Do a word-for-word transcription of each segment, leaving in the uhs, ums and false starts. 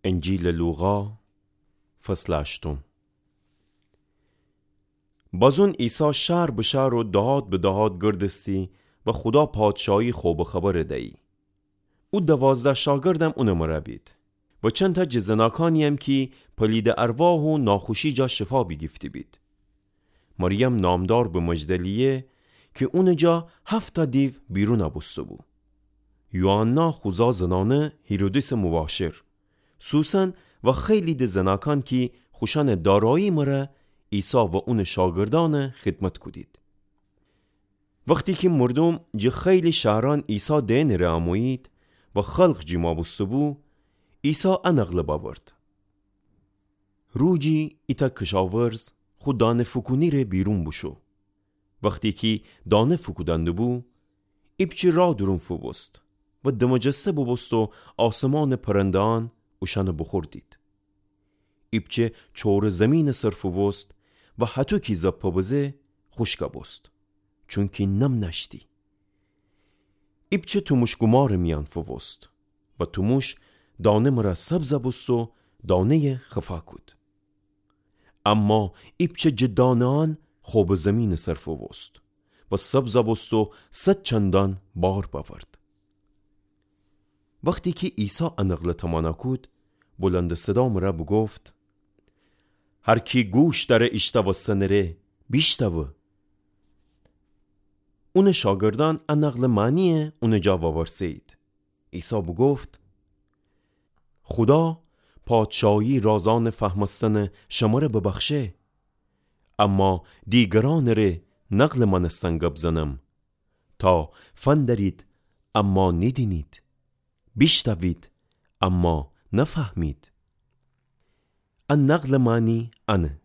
انجیلٚ لوقا، فصلٚ هشتم. بازون عیسی شهر به شهر و دهات به دهات گردستی و خودا پادشاهی خوبٚ خبر دیی. او دوازده شاگردم اونٚ مره بید و چندتأ جٚه زناکانییم کی پلیدٚ ارواح و ناخوشی جا شفا بیگیفته‌بید. مریم نامدار به مجدلیه کی اونٚ جا هفت‌تأ دیو بیرون بوسته‌بو. یوحنا خوزا زنأنه هیرودیسٚ مواشر، سوسن و خیلی د زناکان کی خوشأنٚ دارایی مره عیسی و اونٚ شاگردأن خدمت کودید. وختی کی مردوم جٚه خیلی شهرأن عیسی دئنٚ ره امویید و خلق جیما بوسته‌بو، عیسی ا نقل بأورد: روجی ایتأ کشاورز خو دانه فوکونی ره بیرون بوشو. وختی کی دانه فوکودأن دوبو، ایپچه راه دورون فوبوست و دمجسه بوبوست و آسمانٚ پرنده‌أن اوشأنٚ بوخوردید. ایپچه چوره زیمینٚ سر فوبوست و هطو کی زپه بزه خوشک بوست، چونکی نم نأشتی. ایپچه توموش‌گومارٚ میأن فوبوست و توموش دانه مره سبز بوست و دانه‌یه خفا کود. اما ایپچه جٚه دانه‌أن خوبٚ زیمینٚ سر فوبوست و سبز بوست و صد چندأن بار بأورد. وختی کی عیسی ا نقل تومانا کود، بلندٚ صدا مره بوگفت: هر کی گوش دأره ایشتوستنٚ ره، بیشتوه. اونٚ شاگردأن ا نقلٚ معنیی اونٚ جا وورسه‌یید. عیسی بوگفت: خودا پادشاهی رازأنٚ فهمستنٚ شمره ببخشه، اما دیگرأنٚ ره نقلٚ مأنستن گب زنم، تا فندرید اما نیدینید، بیشتوید اما نفهمید. ا نقلٚ معنی انه: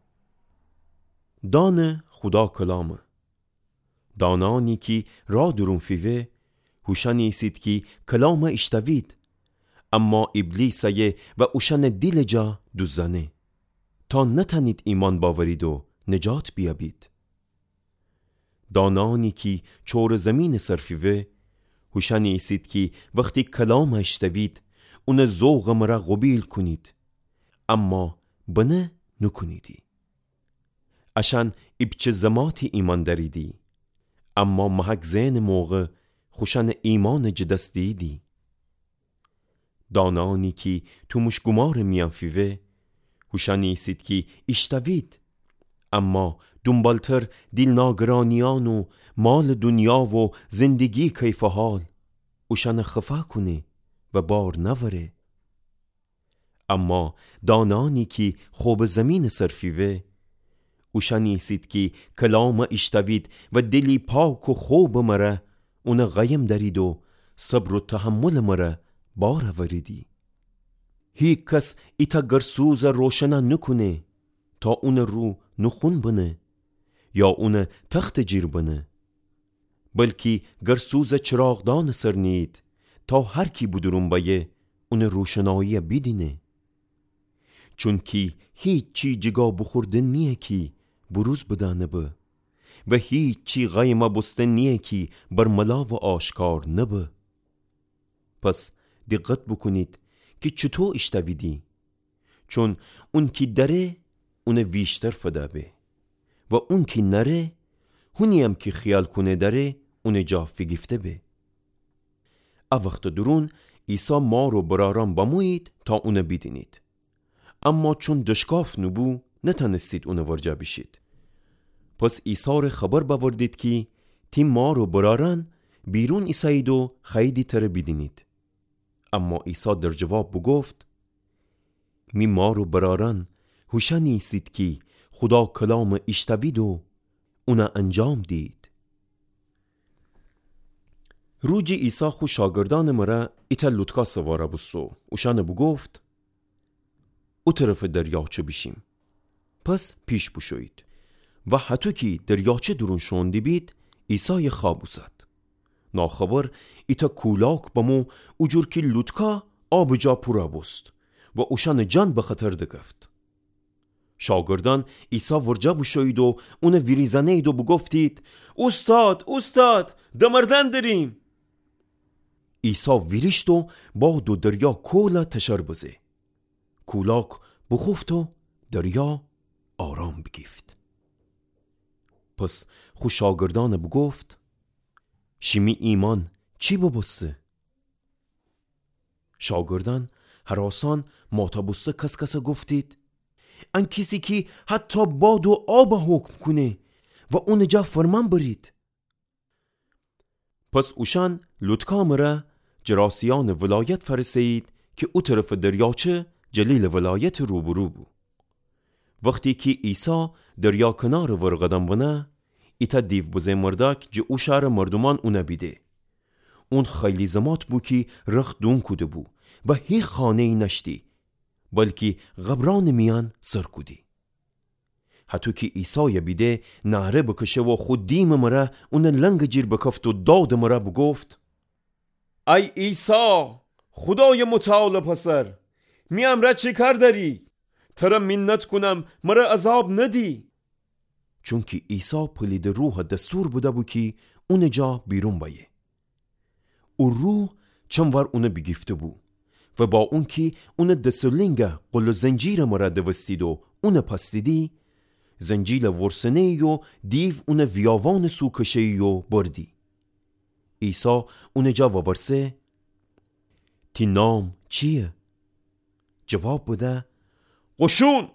دانه خودا کلامه. دانه‌أنی کی راه دورون فیوه، هوشأنی ایسید کی کلام ایشتوید، اما ایبلیس ایه و اوشأنٚ دیلٚ جا دوزأنه، تا نتأنید ایمأن بأورید و نجات بیأبید. دانه‌أنی کی چوره زیمینٚ سر فیوه، هوشأنی ایسید کی وختی کلام ایشتوید، اونٚ ذوقٚ مره قوبیل کونید، اما بنه نوکونیدی. اشأن ایپچه زماتی ایمأن دأریدی، اما محک زئنٚ موقع خوشأنٚ ایمأنٚ جٚه دس دییدی. دانه‌أنی کی توموش‌گومارٚ میأن فیوه، هوشأنی ایسید کی ایشتوید، اما دونبالتر دیل ناگرانیأن و مالٚ دونیا و زندگی کیفٚ حال اوشأن خفا کونه و بار نأوره. اما دانه‌أنی کی خوبٚ زیمینٚ سر فیوه، اوشأنی ایسید کی کلام ایشتوید و دیلی پاک و خوبٚ مره اون قایم دأرید و صبر و تحملٚ مره بار اوریدی. هیکس ایتأ گرسوز روشن نوکونه تا اونٚ رو نوخون بنه یا اون تختٚ جیر بنه، بلکی گرسوز چراغدانٚ سر نیید، تا هر کی به دورون بأیه اونٚ روشنایی بیدینه. چونکی هیچی جیگا بوخوردن نییه کی بروز بدأنه به، و هیچی قایم بوستن نییه کی برملا و آشکار نبه. پس دقت بوکونید کی چوطو ایشتویدی. چون اونکی دأره اون ویشتر فده به، و اونکی نأره، هونییم کی خیال کونه دأره اونٚ جا فیگیفته به. ا وختٚ دورون عیسی مار و برأرأن بمویید تا اون بیدینید. اما چون دشکاف نوبو، نتأنستید اونٚ ورجه بیشید. پس عیسی ره خبر بأوردید کی تی مار و برأرأن بیرون ایسه‌یید و خوأییدی تره بیدینید. اما عیسی در جواب بوگفت: می مار و برأرأن هوشأنی ایسید کی خودا کلام ایشتوید و اون انجام دیید. روجی عیسی خو شاگردأنٚ مره ایتأ لوطکا سوار بوستو، اوشأن بوگفت: او طرفٚ دریاچه بیشیم. پس پیش بوشویید. و هطو کی دریاچه دورون شوئون دیبید، عیسی خواب اوسد. ناخبر ایتأ کولاک بمو، اوجور کی لوطکا آبٚ جا پور بوست و اوشأنٚ جان به خطر دکفت. شاگردأن عیسی ورجه بوشویید و اون ویریزأنه‌یید و بوگفتید: اوستاد، اوستاد، دمردن دریم! عیسی ویریشت و باد و دریا کول تشر بزه. کولاک بوخوفت و دریا آرام بیگیفت. پس خو شاگردأن بوگفت: شیمی ایمأن چی ببوسته؟ شاگردأن هراسأن ماتابوسته کس‌کس گفتید: ان کیسی کی حتی باد و آب حکم کونه و اونٚ جا فرمأن برید. پس اوشأن لوطکا مره جراسیأنٚ ولایت فأرسه‌یید کی او طرفٚ دریاچه جلیلٚ ولایتٚ روبرو بو. وختی کی عیسی دریا کنارٚ ور قدم بنه، ایتأ دیو بزه مردأک جٚه او شارٚ مردومأن اون بیده. اون خیلی زمات بو کی رخت دون کوده بو و هیچ خانه‌یی نأشتی، بلکی قبرأنٚ میأن سر کودی. هطو کی عیسای بیده، نعره بکشه و خو دیمٚ مره اون لنگ جیر بکفت و دادٚ مره بوگفت: ای عیسی، خودایٚ متعالٚ پسر، می امرأ چی کار دأری؟ تره مینت کونم، مره عذاب ندی. چونکی عیسی پلیدٚ روح دستور بده‌بو کی اونٚ جا بیرون بأیه. او روح چن وار اون بیگیفته‌بو و با اونکی اون دس و لینگ قل و زنجیرٚ مره دوستید و اون پستیدی، زنجیلٚ ورسنه‌یی و دیو اون ویاوانٚ سو کشه‌یی و بردی. عیسی اونٚ جا وورسه: تی نام چییه؟ جواب بده: قشون.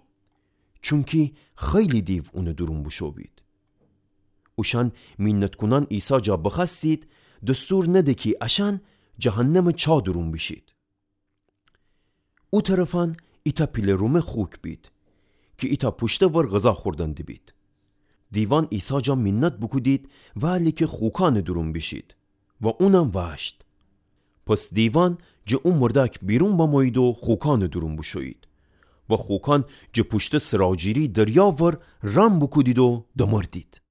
چونکی خیلی دیو اونٚ دورون بوشو بید. اوشأن مینت کونأن عیسی جا بخوأستید، دستور نده کی اشأن جهنمٚ چا دورون بیشید. او طرفأن ایتأ پیله رومه خوک بید کی ایتأ پوشته ور غذا خوردن دیبید. دیوأن عیسی جا مینت بوکودید وأله کی خوکأنٚ دورون بیشید و اونم وأشت. پس دیوأن جٚه او مردأک بیرون بمویید و خوکأنٚ دورون بوشویید و خوکأن جٚه پوشته سراجیری دریا ور رم بوکودید و دمردید.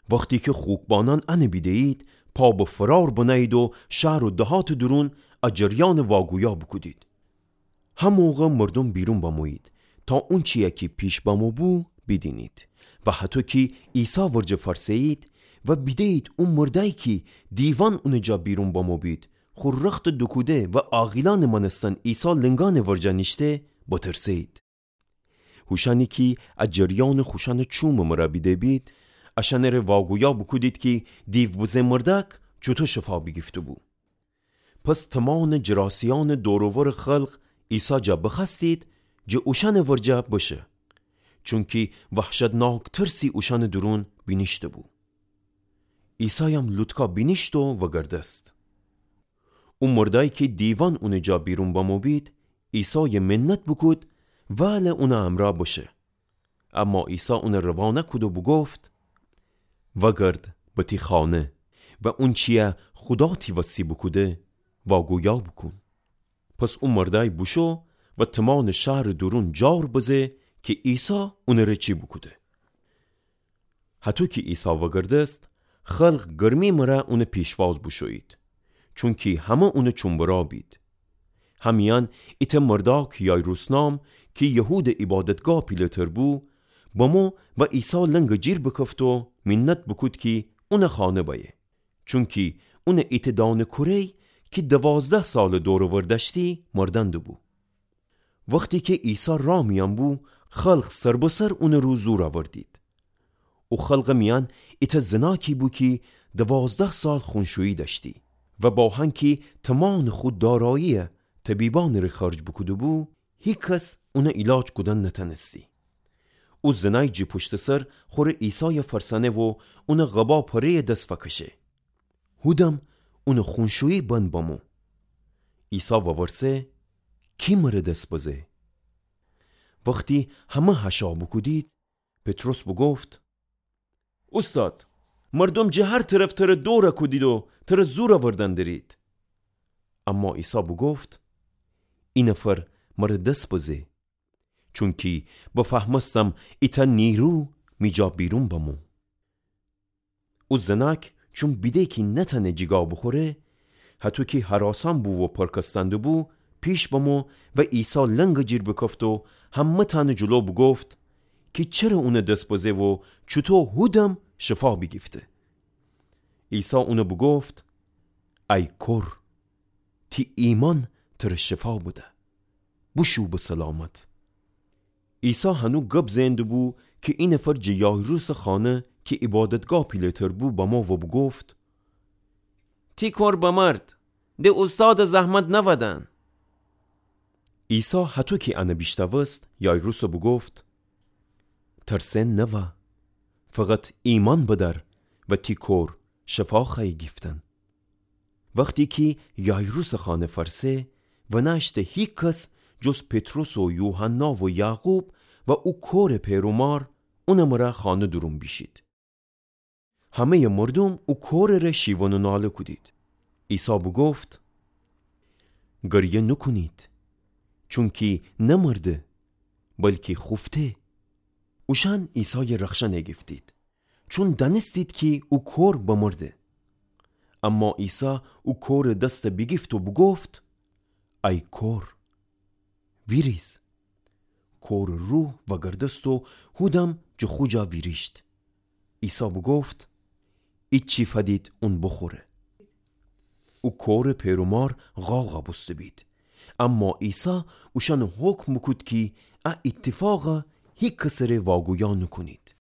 وختی کی خوکبانأن ان بیده‌یید، پا به فرار بنه‌یید و شهر و دهاتٚ دورون ا جریأنٚ واگویا بوکودید. هموقع مردوم بیرون بمویید تا اونچیی کی پیش بمو بو بیدینید و هطو کی عیسی ورجه فأرسه‌یید و بیده‌یید او مردأیی کی دیوأن اونٚ جا بیرون بمو بید، خو رختٚ دوکوده و عاقیلأنٚ مأنستن عیسی لنگأنٚ ورجه نیشته، بترسه‌یید. هوشأنی کی ا جریأنٚ خوشأنٚ چومٚ مره بیده بید، اشأنٚ ره واگویا بوکودید کی دیو بزه مردأک چوطو شفا بیگیفته‌بو. پس تومانٚ جراسیأنٚ دور و ورٚ خلق عیسی جا بخوأستید جٚه اوشأنٚ ورجه بشه، چونکی وحشتناک ترسی اوشأنٚ دورون بینیشته‌بو. عیسایم لوطکا بینیشت و وگردست. او مردأیی کی دیوأن اونٚ جا بیرون بمو بید، عیسای مینت بوکود وأله اونٚ امرأ بشه. اما عیسی اون روانه کود و بوگفت: وگرد به تی خانه و اونچیی خودا تی وسی بوکوده واگویا بوکون. پس او مردأی بوشو و تومانٚ شهرٚ دورون جار بزه کی عیسی اونٚ ره چی بوکوده. هطو کی عیسی وگردست، خلق گرمی مره اونٚ پیشواز بوشویید، چونکی همه اونٚ چوم‌برا بید. همیأن ایتأ مردأک یایروس نام کی یهودٚ عیبادتگاه پیله‌تر بو، بمو و عیسی لنگ جیر بکفت و مینت بوکود کی اونٚ خانه بأیه، چونکی اونٚ ایتأ دأنه کوره‌ی کی دوازده سالٚ دور و ور دأشتی مردن دوبو. وختی کی عیسی راه میأن بو، خلق سر به سر اونٚ رو زور اوردید. او خلقٚ میأن ایتأ زناکی بو کی دوازده سال خونشویی دأشتی و با هنکی تومانٚ خو داراییی طبیبأنٚ ره خرج بوکوده‌بو، هیکس اونٚ ایلاج کودن نتأنستی. او زنای جٚه پوشتٚ سر خوره عیسای فأرسأنه و اونٚ قبا پره‌ی دس فکشه. هودم اونٚ خونشویی بند بمو. عیسی وورسه: کی مره دس بزه؟ وختی همه هشا بوکودید، پطرس بوگفت: اوستاد، مردوم جٚه هر طرف تره دور کودید و تره زور اوردن درید. اما عیسی بوگفت: ای نفر مره دس بزه، چونکی بفهمستم ایتأ نیرو می جا بیرون بمو. او زناک چون بیده کی نتأنه جیگا بوخوره، هطو کی هراسأن بو و پرکستأن دوبو، پیش بمو و عیسی لنگ جیر بکفت و همه‌تأنٚ جلو بوگفت کی چره اونٚ دس بزه و چوطو هودم شفا بیگیفته. عیسی اون بوگفت: ای کور، تی ایمأن تر شفا بده. بوشو به سلامت. عیسی هنو گب زئن دوبو کی ای نفر جٚه یایروسٚ خانه کی عیبادتگاه پیله‌تر بو بمو و بوگفت: تی کور بمرد، د اوستادٚ زحمت نودن. عیسی هطو کی انه بیشنوست، یایروسَ بوگفت: ترسئن نوا، فقط ایمأن بدأر و تی کور شفا خوأیه گیفتن. وختی کی یایروسٚ خانه فأرسه، ونأشته هیکس جز پطرس و یوحنا و یعقوب و او کورٚ پئر و مار اونٚ مرأ خانه دورون بیشید. همه‌یٚ مردوم او کورٚ ره شیون و ناله کودید. عیسی بوگفت: گریه نوکونید، چونکی نمرده، بلکی خوفته. اوشأن عیسایَ رخشن ایگیفتید، چون دأنستید کی او کور بمرده. اما عیسی او کورٚ دستَ بیگیفت و بوگفت: ای کور، ویریز. کورٚ روح وأگردست و هودم جٚه خو جا ویریشت. عیسی بوگفت: ایچی فدید اون بوخوره. او کورٚ پئر و مار غاغَ بوسته‌بید. اما عیسی اوشأنَ حکم بوکود کی ا ایتفاقَ هیکسٚ ره واگویا نوکونید.